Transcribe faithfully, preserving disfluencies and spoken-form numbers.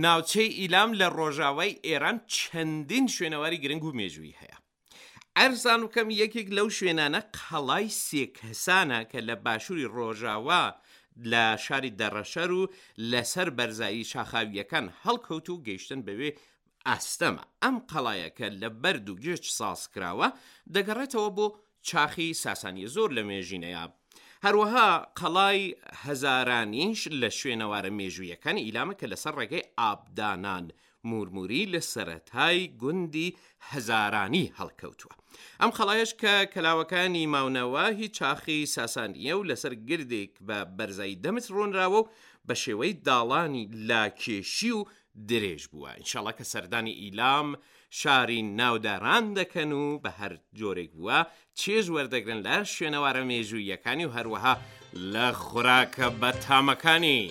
ناوچەی ئیلام لە ڕۆژاوای ئێران چەندین شوێنەواری گرنگ و مێژوویی هەیە. عەرزتان بکەم یەکێک لەو شوێنانە قەڵای سێکەسانە کە لە باشووری ڕۆژاوا لە شاری دەڕەشەر و لەسەر بەرزایی شاخاوییەکان هەڵکەوت و گەیشتن بەوێ ئاستەمە. ئەم قەڵایە کە لە بەرد و گێچ ساز کراوە دەگەڕێتەوە بۆ چاخی ساسانیە زۆر لە مێژینەیە. هەروەها قەڵای هەزارانیش لە شوێنەوارە مێژوویەکانی ئیلامە کە لەسەر ڕێگەی ئابدانان مورموری لە سەرەتای گوندی هەزارانی هەڵکەوتووە. ئەم قەڵایەش کە کەلاوەکانی ماونەوە هی چاخی ساسانییە و لەسەر گردێک بە بەرزایی دە متر ڕۆنراوە و بە شێوەی داڵانی لاکێشی و درێژ بووە. ئینشاڵا کە سەردانی ئیلام شاری ناوداران دەکەن و بە هەر جۆرێک بووە چێژ وەردەگرن لە شوێنەوارە مێژووییەکانی و هەروەها لە خوراکە بەتامەکانی.